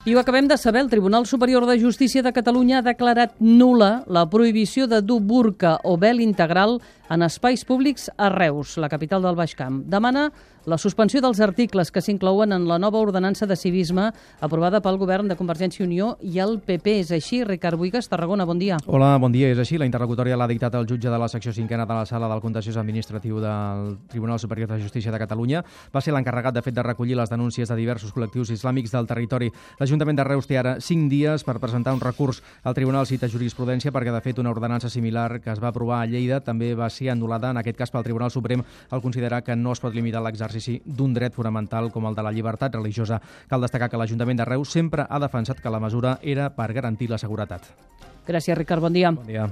I ho acabem de saber, el Tribunal Superior de Justícia de Catalunya ha declarat nul·la la prohibició de dur burca o vel integral en espais públics a Reus, la capital del Baix Camp. Demana la suspensió dels articles que s'inclouen en la nova ordenança de civisme aprovada pel govern de Convergència i Unió i el PP. És així, Ricard Buigas, Tarragona, bon dia. Hola, bon dia. És així. La interlocutòria l'ha dictat el jutge de la secció cinquena de la Sala del Contenciós Administratiu del Tribunal Superior de Justícia de Catalunya. Va ser l'encarregat, de fet, de recollir les denúncies de diversos col·lectius islàmics del territori. L'Ajuntament de Reus té ara 5 dies per presentar un recurs al Tribunal Cita Jurisprudència perquè, de fet, una ordenança similar que es va aprovar a Lleida també va ser anul·lada, en aquest cas pel Tribunal Suprem, al considerar que no es pot limitar l'exercici d'un dret fonamental com el de la llibertat religiosa. Cal destacar que l'Ajuntament de Reus sempre ha defensat que la mesura era per garantir la seguretat. Gràcies, Ricard. Bon dia. Bon dia.